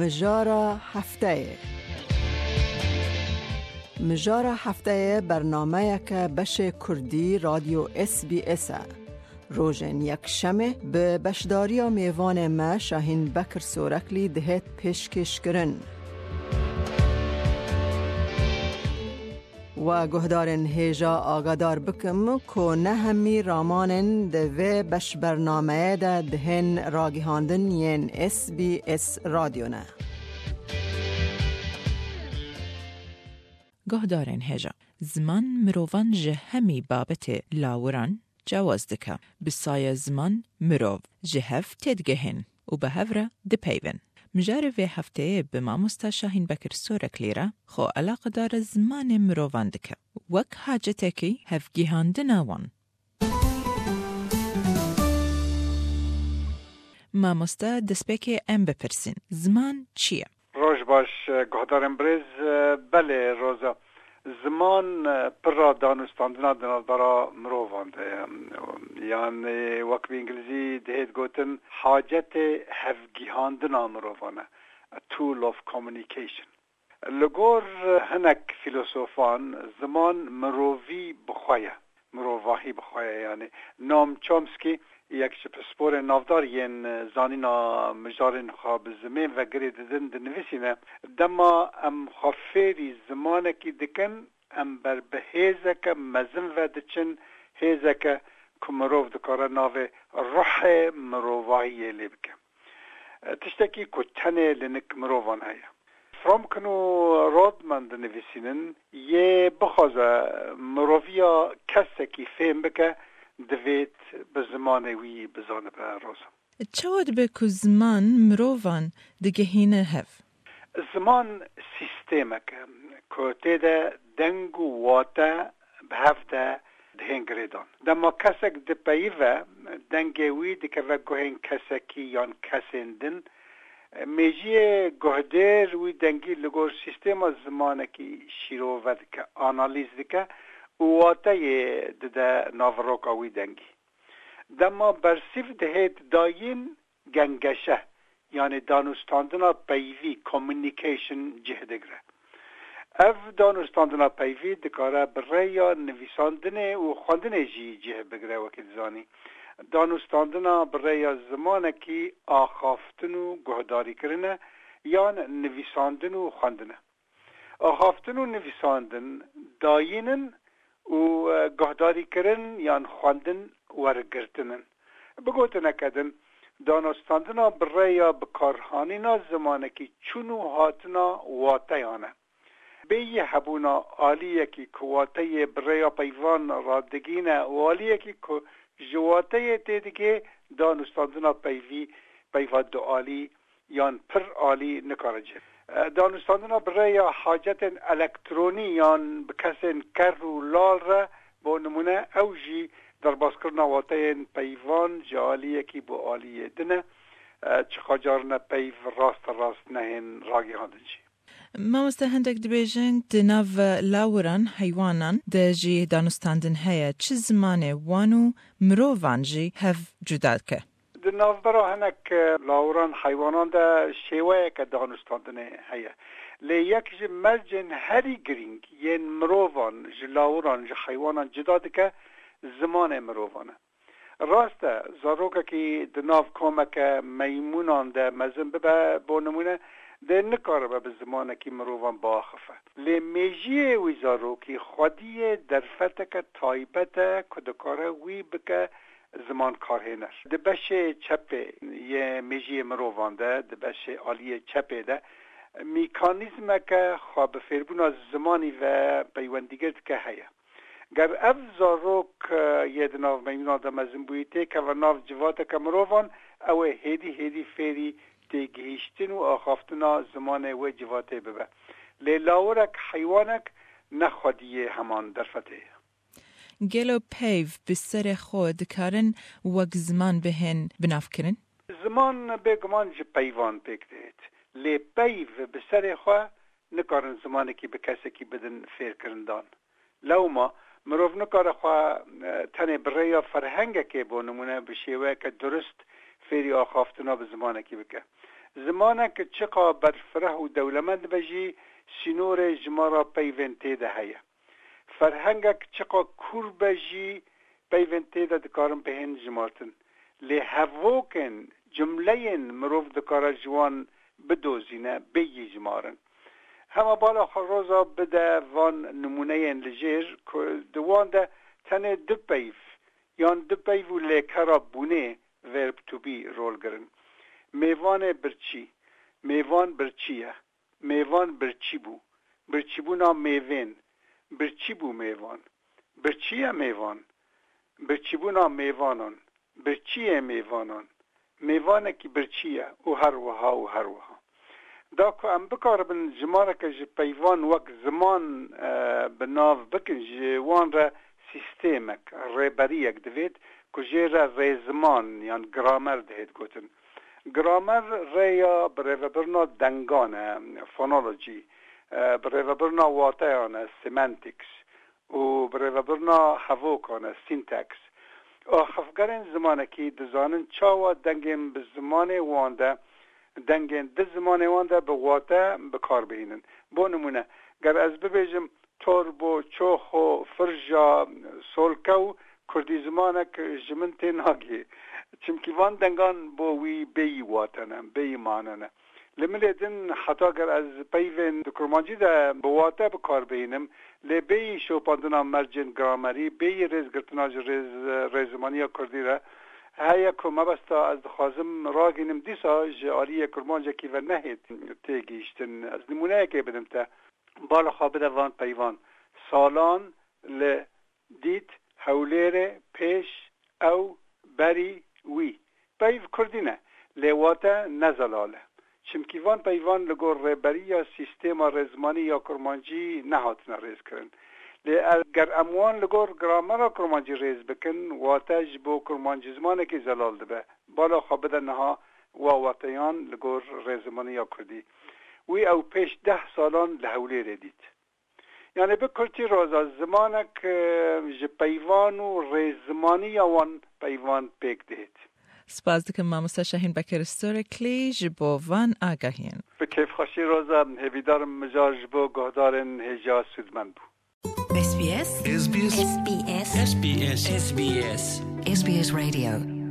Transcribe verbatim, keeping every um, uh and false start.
Mijara hefteyê. Mijara hefteyê bernameyeke beşê kurdî Radyo S B S e. Rojên yekşemê bi beşdariya mêvanê me Şahîn Bekir Soreklî dihêt pêşkêşkirin. We guhdarên hêja agadar bikim ku ne hemî ramanên di vê beşbernameyê de dihên ragihandin yên S B S Radyo ne. Guhdarên hêja, ziman mirovan ji hemî babetê lawiran cewaz dike. Bi saya ziman mirov ji hev têdigihên û bi hev re dipeyvin. Mijarê vê hefteyê bi mamosta Şahîn Bekir Soreklî re xwe eleqedara zimanê mirovan dike, wek hacetekî hevgihandina wan. Mamosta, destpêkê em bipirsîn, ziman çi ye? Roj baş, guhdarên birêz. Belê, Roza. Ziman, pira danûstandina di navbera mirovan de ye. Yanî, wek bi îngilîzî dihêt gotin, hacetê hevgihandina mirovan e. A tool of communication. Li gor hinek fîlosofan, ziman mirovî bi xwe ye. Mirovahî bi xwe ye, yanî. Noam Chomsky, yek ji pisporên navdar yên zanîna mijarên xwe bi zimên ve girê didin, dinivîsîne, dema em xwe fêrî zimanekî dikin, em ber bi hêzeke mezin ve diçin, hêzeke ku mirov dikare navê ruhê mirovahiyê lê bike. Tiştekî ku tenê li nik mirovan heye. Fromkin û Rodman dinivîsînin, yê bixwaze miroviya kesekî fêm bike, divêt bi zimanê wî bizanibe, Roza. Çawa dibe ku ziman mirovan digihîne hev? Ziman sîstemek e ku tê de deng û wate bi hev de dihên girêdan. Dema kesek dipeyive, dengê wî dikeve guhên kesekî yan kesên din. Mêjiyê guhdêr wî dengî li gor sîstema zimanekî şîrove dike, analîz dike û wateyê dide naveroka wî dengî. Dema bersîv dihêt dayîn, gengeşe, yanî danûstandina peyvî, communication, cih digre. Ev danûstandina peyvî dikare bi rêya nivîsandinê û xwendinê jî cih bigre, wekî dizanî. Danûstandina bi rêya zimanekî axaftin û guhdarîkirin e, yan nivîsandin û xwendin e. Axaftin û nivîsandin dayîn in û, e, guhdarîkirin yan xwendin wergirtin in. Bi gotineke din, danûstandina bi rêya bikarhanîna zimanekî çûn û hatina wateyan e. Bêyî hebûna aliyekî ku wateyê bi rêya peyvan radigihîne û aliyekî ku ji wateyê têdigihê, danûstandina peyvî, peyva dualî, yan pir alî nikare cih. E, danûstandina bi rêya hacetên elektronî yan bi kesên ker û lal re, bo nimûne, ew jî derbaskirina wateyên peyvan ji aliyekî bo aliyê din e, e, çiqacarine peyv raste rast nehên ragihandin jî. Mamoste, hindek dibêjin, di nav lawiran, heywanan de jî danûstandin heye. Çi zimanê wan û mirovan jî hev cuda dike? Di navbera hinek, e, lawiran, heywanan de şêweyeke danûstandinê heye. Lê yek ji mercên herî girîng yên mirovan ji lawiran, ji heywanan cuda dike, zimanê mirovan e. Rast e, zarokekî di nav komeke meymûnan de mezin bibe, bo nimûne, dê nikaribe bi zimanekî mirovan biaxife. Lê mêjiyê wî zarokî xwediyê derfeteke taybet e ku dikare wî bike zimankarhêner. Di beşê çepê yê mêjiyê mirovan de, di beşê aliyê çepê de, mîkanîzmeke xwe bi fêrbûna zimanî ve peywendîgir dike heye. Ger ev zarok, e, yê di nav meymûnan de mezin bûyî têkeve nav civateke mirovan, ew ê hêdî hêdî fêrî têgihîştin û axaftina zimanê wê civatê bibe. Lê lawirek, heywanek ne xwediyê heman derfetê ye. Gelo peyv bi serê xwe dikarin wek ziman bihên binavkirin? Ziman bêguman ji peyvan pêk dihêt. Lê peyv bi serê xwe nikarin zimanekî bi kesekî bidin fêrkirindan. Lewma mirov nikare xwe, e, tenê bi rêya ferhengekê, bo nimûne, bi şêweyeke durist fêrî axaftina bi zimanekî bike. Zimanek çiqa berfireh û dewlemend be jî, sînorê ji me re peyvên tê de heye. Ferhengek çiqa kûr be jî, peyvên tê de dikarin bihên jimartin. Lê hevokên, cumleyên mirov dikare ji wan bidozîne, bêyî jimarin. Hema bala xwe roza bide van nimûneyên li jêr, ku di wan de tenê du peyv yan du peyv û lêkera bûnê, verb to be, rol girin. Mêvanê birçî. Mêvan birçî ye. Mêvan birçî bû. Birçîbûna mêvên. Birçî bû mêvan. Birçî ye mêvan. Birçîbûna mêvanan. Birçî yê mêvanan. Mêvanekî birçî ye û her wiha û her wiha. Da ku em bikaribin jimareke ji peyvan wek ziman, e, bi nav bikin, ji wan re sîstemek, rêberiyek divêt ku jê re rêziman yan gramer dihêt gotin. Gramer rêya birêvebirina dengan e, phonology, e, birêvebirina wateyan e, semantics, û birêvebirina hevokan e, syntax. Axifgerên zimanekî dizanin çawa dengên bi zimanê wan de, dengên di zimanê wan de bi wate bi kar bihînin. Bo nimûne, ger ez bibêjim torbo, çoxo, firja, solkew, kurdî zimanek ji min tê nagihê. Çimkî van dengan bo wî bêyî wate ne, bêyî mane ne. Li milê din heta ger ez peyvên di kurmancî de bi wate bi kar bihînim, lê bêyî şopandina mercên gramerî, bêyî rêzgirtina ji rêz, rêzimaniya kurdî re heye ku mebesta ez dixwazim ragihînim dîsa ji aliyê kurmancekî ve nehêt têgihîştin. Ez nimûneyekê bidim te. Bala xwe bide van peyvan. Salan li dît, Hewlêrê, pêş, ew, berî, wî. Peyv kurdî ne, lê wate ne zelal e. Çimkî van peyvan li gor rêberiya sîstema rêzmanî ya kurmancî nehatine rêzkirin. Lê er, ger em wan li gor gramera kurmancî rêz bikin, wate ji bo kurmancî zimanekî zelal dibe. Bala xwe bide niha wa wateyan li gor rêzimaniya kurdî. Wî ew pêş deh salan li Hewlêrê dît. Yani bi kurtî roza zimanek, e, ji peyvan û rêzimaniya wan peyvan pêk dihêt. Spas dikim mamoste Şahîn Bekir Storeklî ji bo van agahiyên. Bi kêfxweşî roza, hêvîdarim mijar ji bo guhdarên hêja sûdmend bû. S B S. S B S. S B S. S B S. S B S. S B S Radio.